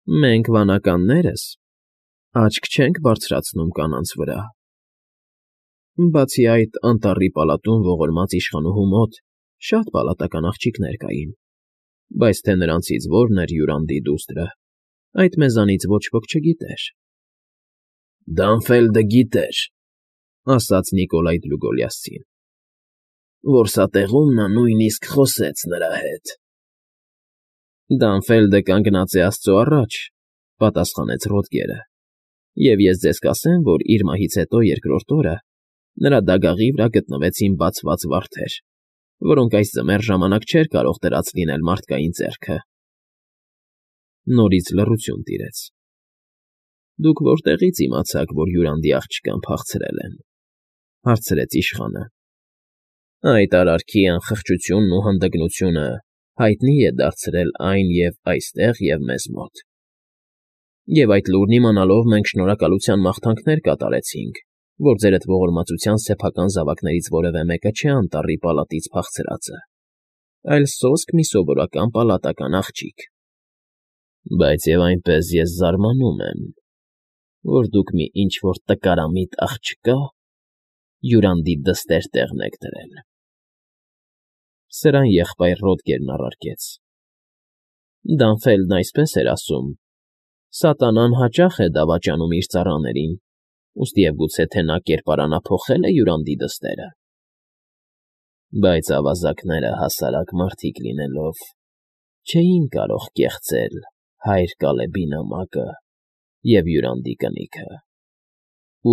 Մենք, վանականներս, աչք չենք բարձրացնում կանանց վրա։ Բացի այդ, անտառի պալատում ողորմած իշխանուհու մոտ շատ պալատական աղջիկներ կային, բայց թե նրանցից որն էր Յուրանդի դուստրը, այդ մեզանից ոչ ոք չգիտեր։ ֊ Դանֆելդը գիտեր,֊ ասաց Նիկոլայ Դլուգոլիասցին,֊ որսատեղում նա նույնիսկ խոսեց նրա հետ։ ֊ Դանֆելդը կանգնած է աստծո առաջ,֊ պատասխանեց Ռոդգերը,֊ և ես ձեզ կասեմ, որ իր մահից հետո երկրորդ օրը նրա դագաղի վրա գտնվեցին բացված վարդեր, որոնք այս ձմեռ ժամանակ չէր կարող դրած լինել մարդկային ձեռքը։ Նորից լռություն տիրեց։ ֊ Դուք որտեղի՞ց իմացաք, որ Յուրանդի աղջկան փախցրել են,֊ հարցրեց իշխանը։ ֊ Այդ արարքի անխղճությունն ու հանդգնությունը հայտնի է դարձրել այն և այստեղ, և մեզ մոտ։ Եվ այդ լուրն իմանալով մենք շնորհակալության մաղթանքներ կատարեցինք, որ ձերդ ողորմածության սեփական զավակներից որևէ մեկը չէ անտառի պալատից փախցրածը, այլ սոսկ մի սովորական պալատական աղջիկ։ Բայց և այնպես ես զարմանում եմ, որ դուք մի ինչ֊որ տկարամիտ աղջկա Յուրանդի դստեր տեղն եք դրել։ Սրան եղբայր Ռոդգերն առարկեց. Դանֆելդն այսպես էր ասում. «Սատանան հաճախ է դավաճանում իր ծառաներին, ուստի և գուցե թե նա կերպարանափոխել է Յուրանդի դստերը։ Բայց ավազակները հասարակ մարդիկ լինելով, չէին կարող կեղծել հայր Կալեբի նամակը և Յուրանդի կնիքը։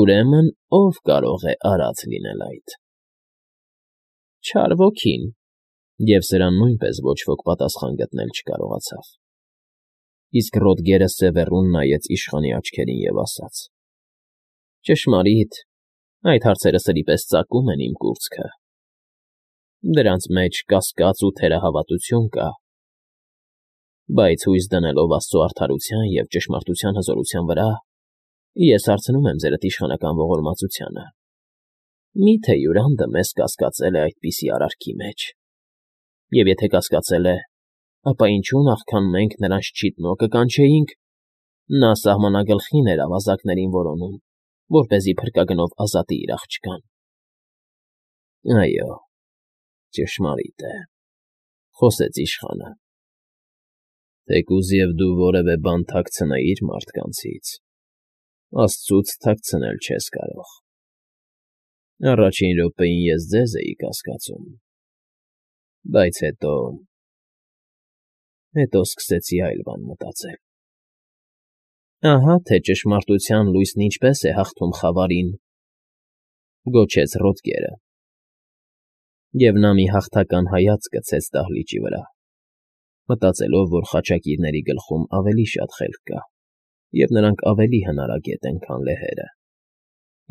Ուրեմն ո՞վ կարող է արած լինել այդ։ Չար ոգին,֊ և սրան նույնպես ոչ ոք պատասխան գտնել չկարողացավ։ Իսկ Ռոդգերը սևեռուն նայեց իշխանի աչքերին և ասաց. «Ճշմարիտ, այդ հարցերը սրի պես ծակում են իմ կուրծքը։ Դրանց մեջ կասկած ու թերահավատություն կա, բայց հույս դնելով աստծո արդարության և ճշմարտության հզորության վրա, ես հարցնում եմ ձերդ իշխանական ողորմածությանը. մի՞թե Յուրանդը մեզ կասկածել է այդպիսի արարքի մեջ, և եթե կասկածել է, ապա ինչու նախքան մենք նրանց չիտնոկը կանչեինք, նա սահմանագլխին էր ավազակներին որոնում, որպեսզի փրկագնով ազատի իր աղջկան։ Այո, ճշմարիտ է,֊ խոսեց իշխանը։ Թեկուզ և դու որևէ բան թաքցնեիր մարդկանցից, աստծուց թաքցնել չես կարող։ Առաջին րոպեին ես ձեզ էի կասկածում, բայց հետո սկսեցի այլ բան մտածել։ Ահա թե ճշմարտության լույսն ինչպես է հաղթում խավարին,֊ գոչեց Ռոդգերը։ Եվ նա մի հաղթական հայացք գցեց դահլիճի վրա, մտածելով, որ խաչակիրների գլխում ավելի շատ խելք կա, և նրանք ավելի հնարագետ են, քան լեհերը,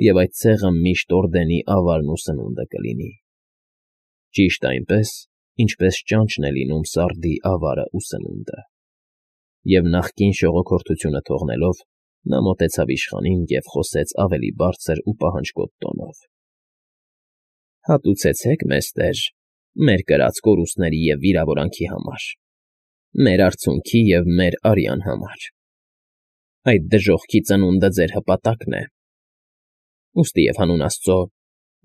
և այդ ցեղը միշտ օրդենի ավարն ու սնունդը կլինի, ճիշտ այնպես, ինչպես ճանճն է լինում սարդի ավարն ու սնունդը։ Եվ նախկին շողոքորթությունը թողնելով, նա մոտեցավ իշխանին և խոսեց ավելի բարձր ու պահանջկոտ տոնով. Հատուցեցեք մեզ, տեր, մեր կրած կորուստների և վիրավորանքի համար, մեր արցունքի և մեր արյան համար։ Այդ դժոխքի ծնունդը ձեր հպատակն է։ Ուստի և հանուն աստծո,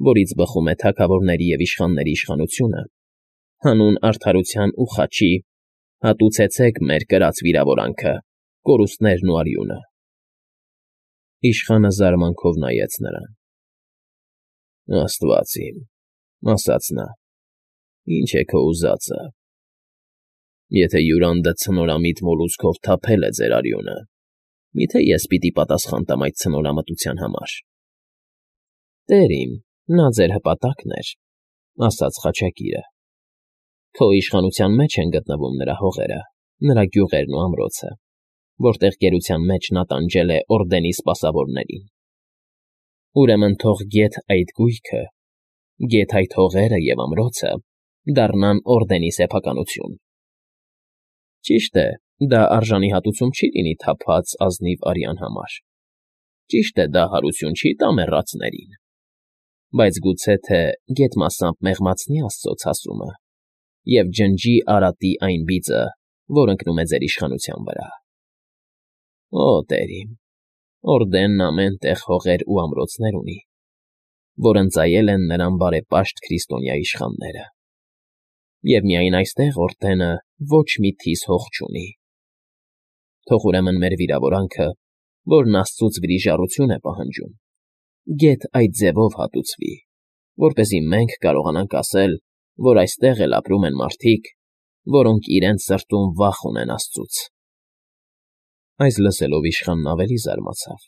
որից բխում է թագավորների և իշխանների իշխանությունը, հանուն արդարության ու խաչի, հատուցեցեք մեր կրած վիրավորանքը, կորուստներն ու արյունը։ Իշխանը զարմանքով նայեց նրան։ Աստված իմ,֊ ասաց նա,֊ ի՞նչ է քո ուզածը։ Եթե Յուրանդը ցնորամիտ մոլուցքով թափել է ձեր արյունը, միթե ես պիտի պատասխան տամ այդ ցնորամտության համար։ Տեր իմ, նա ձեր հպատակն էր,֊ ասաց խաչակիրը։ Քո իշխանության մեջ են գտնվում նրա հողերը, նրա գյուղերն ու ամրոցը, որտեղ գերության մեջ նա տանջել է օրդենի սպասավորներին։ Ուրեմն թող գեթ այդ գույքը, գեթ այդ հողերը և ամրոցը դառնան օրդենի սեփականություն։ Ճիշտ է, դա արժանի հատուցում չի լինի թափած ազնիվ արյան համար, ճիշտ է, դա հարություն չի տա մեռածներին, բայց գուցե թե գեթ մասամբ մեղմացնի աստծո ցասումը և ջնջի Արատի այն բիծը, որ ընկնում է ձեր իշխանության վրա։ Օ, տերիմ, Օրդենն ամեն տեղ հողեր ու ամրոցներ ունի, որ ընծայել են նրան բարեպաշտ քրիստոնյա իշխանները, և միայն այստեղ Օրդենը ոչ մի թիս հող չունի։ Թող ուրեմն մեր վիրավորանքը, որն աստծուց վրիժառություն է պահանջում, գեթ այդ ձևով հատուցվի, որպեսզի մենք կարողանանք ասել, որ այստեղ էլ ապրում են մարդիկ, որոնք իրենց սրտում վախ ունեն աստծուց։ Այս լսելով իշխանն ավելի զարմացավ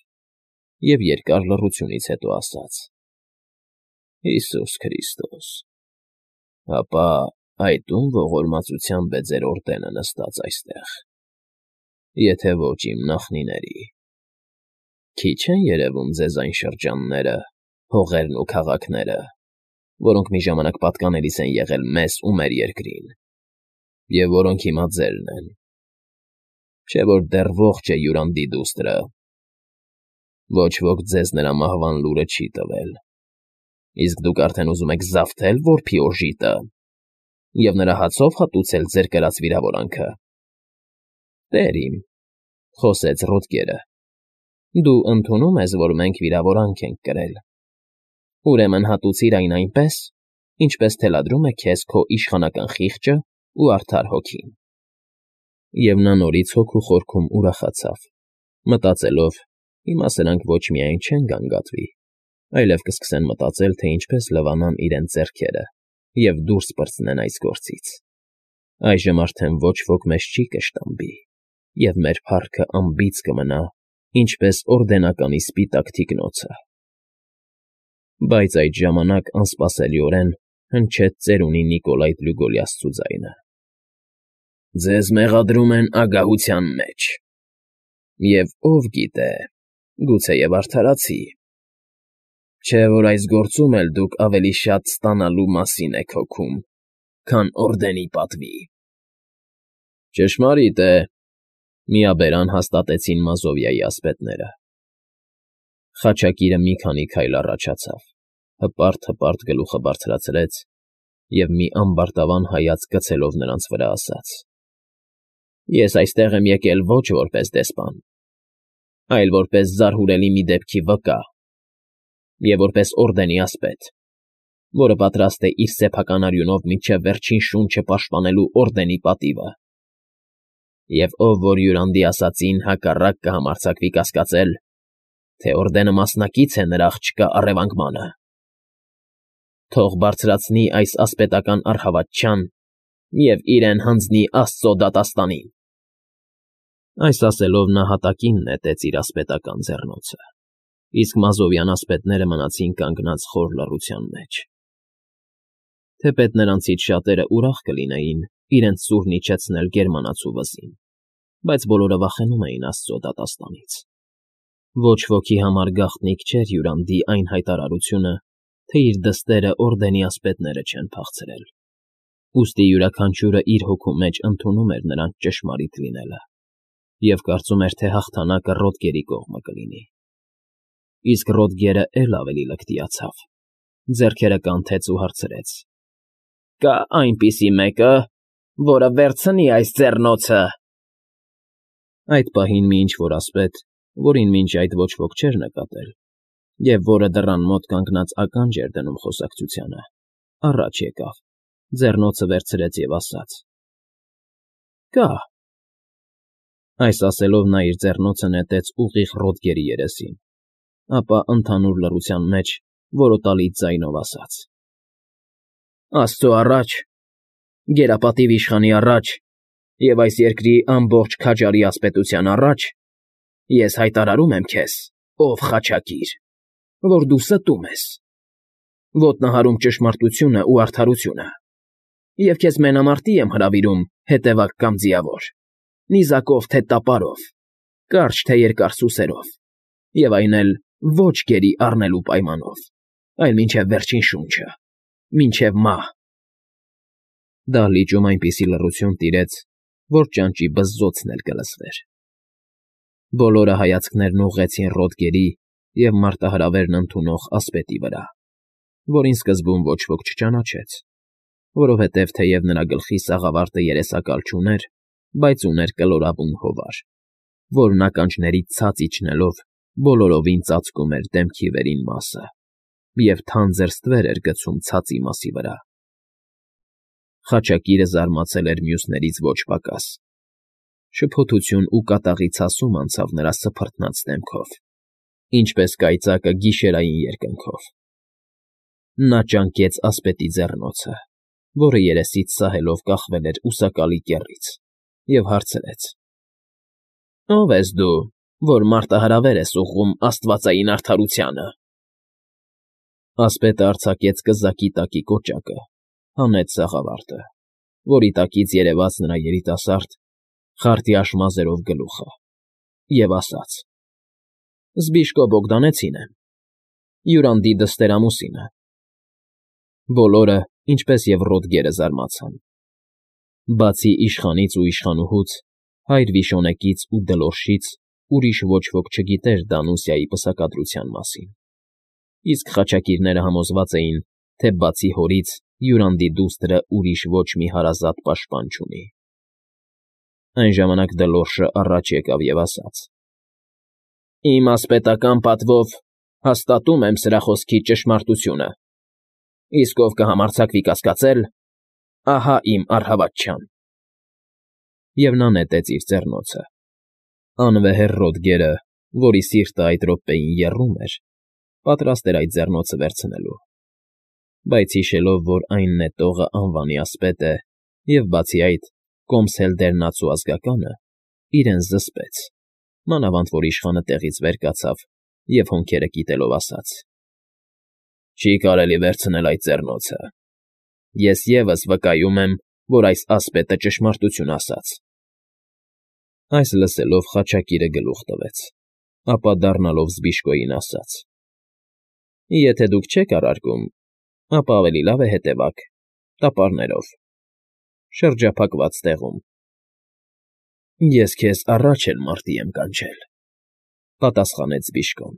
և երկար լռությունից հետո ասաց. Հիսուս Քրիստոս, ապա այդ ում ողորմածությամբ է ձեր Օրդենը նստած այստեղ, եթե ոչ իմ նախնիների։ Քիչ են երևում ձեզ այն շրջանները, հողերն ու քաղաքները, որոնք մի ժամանակ պատկանելիս են եղել մեզ ու մեր երկրին, և որոնք հիմա ձերն են, չէ՞ որ դեռ ողջ է Յուրանդի դուստրը։ Ոչ ոք ձեզ նրա մահվան լուրը չի տվել, իսկ դուք արդեն ուզում եք զավթել որբի օժիտը և նրա հացով հատուցել ձեր կրած վիրավորանքը։ Տեր իմ, խոսեց Ռոդգերը, դու ընդունում ես, որ մենք վիրավորանք ենք կրել, ուրեմն հատուցիր այն այնպես, ինչպես թելադրում է քեզ քո իշխանական խիղճը ու արդար հոգին։ Եվ նա նորից հոգու խորքում ուրախացավ, մտածելով. հիմա սրանք ոչ միայն չեն գանգատվի, այլև կսկսեն մտածել, թե ինչպես լվանան իրենց ձեռքերը և դուրս պրծնեն այս գործից։ Այժմ արդեն ոչ ոք մեզ չի կշտամբի, և մեր փառքը անբիծ կմնա, ինչպես օրդենականի սպիտակ թիկնոցը։ Բայց այդ ժամանակ անսպասելիորեն հնչեց ծերունի Նիկոլայ Տրուգոլի աստծու ձայնը. Ձեզ մեղադրում են ագահության մեջ, և ով գիտե, գուցեև արդարացի, չէ՞ որ այս գործում էլ դուք ավելի շատ ստանալու մասին եք հոգում, քան Օրդենի պատվի։ Ճշմարիտ է, միաբերան հաստատեցին Մազովիայի ասպետները։ Խաչակիրը մի քանի քայլ առաջացավ, հպարտ գլուխը բարձրացրեց և մի ամբարտավան հայացք գցելով նրանց վրա ասաց. Ես այստեղ եմ եկել ոչ որպես դեսպան, այլ որպես զարհուրելի մի դեպքի վկա և որպես Օրդենի ասպետ, որը պատրաստ է իր սեփական արյունով մինչև վերջին շունչը պաշտպանելու Օրդենի պատիվը։ Եվ ով որ Յուրանդի ասածին հակառակ կհամարձակվի կասկածել, թե Օրդենը մասնակից է նրա աղջկա առևանգմանը, թող բարձրացնի այս ասպետական առհավատչյան և իրեն հանձնի Աստծո դատաստանին։ Այս ասելով նա հատակին նետեց իր ասպետական ձեռնոցը, իսկ մազովյան ասպետները մնացին կանգնած խոր լռության մեջ։ Թեպետ նրանցից շատերը ուրախ կլինեին իրենց սուրն իջեցնել գերմանացու վզին, բայց բոլորը վախենում էին Աստծո դատաստանից։ Ոչ ոքի համար գաղտնիք չէր Յուրանդի այն հայտարարությունը, թե իր դստերը Օրդենի ասպետները չեն փախցրել։ Ուստի յուրաքանչյուրը իր հոգու մեջ ընդունում էր նրանց ճշմարիտ լինելը և կարծում էր, թե հաղթանակը Ռոդգերի կողմը կլինի։ Իսկ Ռոդգերը էլ ավելի լկտիացավ, ձեռքերը կանթեց ու հարցրեց. Կա այնպիսի մեկը, որը վերցնի այս ձեռնոցը։ Այդ պահին մի ինչ-որ ասպետ, որին մինչ այդ ոչ ոք չէր նկատել, և որը դռան մոտ կանգնած ականջ էր դնում խոսակցությանը, առաջ եկավ, ձեռնոցը վերցրեց և ասաց. Կա։ Այս ասելով նա իր ձեռնոցը նետեց ուղիղ Ռոդգերի երեսին, ապա ընդհանուր լռության մեջ որոտալի ձայնով ասաց. Աստծո առաջ, գերապատիվ իշխանի առաջ և այս երկրի ամբողջ քաջարի ասպետության առաջ, ես հայտարարում եմ քեզ, ով խաչակիր, որ դու ստում ես, ոտնահարում ճշմարտությունն ու արդարությունը, և քեզ մենամարտի եմ հրավիրում հետևակ կամ ձիավոր, նիզակով թե տապարով, կարճ թե երկար սուսերով, և այն էլ ոչ գերի առնելու պայմանով, այլ մինչև վերջին շունչը, մինչև մահ։ Դահլիճում այնպիսի լռություն տիրեց, որ ճանճի բզզոցն էլ կլսվեր։ Բոլորը հայացքներն ուղղեցին Ռոդգերի և մարտահրավերն ընդունող ասպետի վրա, որին սկզբում ոչ ոք չճանաչեց, որովհետև թեև նրա գլխի սաղավարտը երեսակալ չուներ, բայց ուներ կլորավուն հովար, որն ականջներից ցած իջնելով բոլորովին ծածկում էր դեմքի վերին մասը և թանձր ստվեր էր գցում ցածի մասի վրա։ Խաչակիրը զարմացել էր մյուսներից ոչ պակաս. շփոթություն ու կատաղի ցասում անցավ նրա սփռտնած դեմքով, ինչպես կայծակը գիշերային երկնքով։ Նա ճանկեց ասպետի ձեռնոցը, որը երեսից սահելով կախվել էր ուսակալի կեռից, և հարցրեց. «Ո՞վ ես դու, որ մարտահրավեր ես ուղղում աստվածային արդարությանը»։ Ասպետը արձակեց կզակի տակի կոճակը, հանեց սաղավարտը, որի տակից երևաց նրա երիտասարդ, խարտյաշ մազերով գլուխը, և ասաց. «Զբիշկո Բոգդանեցին եմ, Յուրանդի դստեր֊ամուսինը»։ Բոլորը, ինչպես և Ռոդգերը, զարմացան։ Բացի իշխանից ու իշխանուհուց, հայր Վիշոնեկից ու Դլորշից ուրիշ ոչ ոք չգիտեր Դանուսիայի պսակադրության մասին, իսկ խաչակիրները համոզված էին, թե բացի հորից Յուրանդի դուստրը ուրիշ ոչ մի հարազատ պաշտպան չունի։ Այն ժամանակ Դլորշը առաջ եկավ և ասաց. «Իմ ասպետական պատվով հաստատում եմ սրա խոսքի ճշմարտությունը, իսկ ով կհամարձակվի կասկածել, ահա իմ առհավատչան»։ Եվ նա նետեց իր ձեռնոցը։ Անվեհեր Ռոդգերը, որի սիրտը այդ րոպեին եռում էր, պատրաստ էր այդ ձեռնոցը վերցնելու, բայց հիշելով, որ այն նետողը անվանի ասպետ է և, բացի այդ, կոմսել դեռնացու ազգականը, իրեն զսպեց, մանավանդ որ իշխանը տեղից վեր կացավ և հոնքերը կիտելով ասաց. «Չի կարելի վերցնել այդ ձեռնոցը։ Ես ևս վկայում եմ, որ այս ասպետը ճշմարտություն ասաց»։ Այս լսելով խաչակիրը գլուխ տվեց, ապա դառնալով Զբիշկոյին ասաց. «Եթե դուք չեք առարկում, ապա ավելի լավ է հետևակ, տապարներով, շրջափակված տեղում»։ «Ես քեզ առաջ էլ մարտի եմ կանչել», ֊ պատասխանեց Զբիշկոն։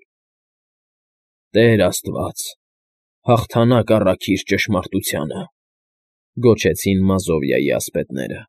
«Տեր աստված, հաղթանակ առաքիր ճշմարտությանը», ֊ գոչեցին Մազովիայի ասպետները։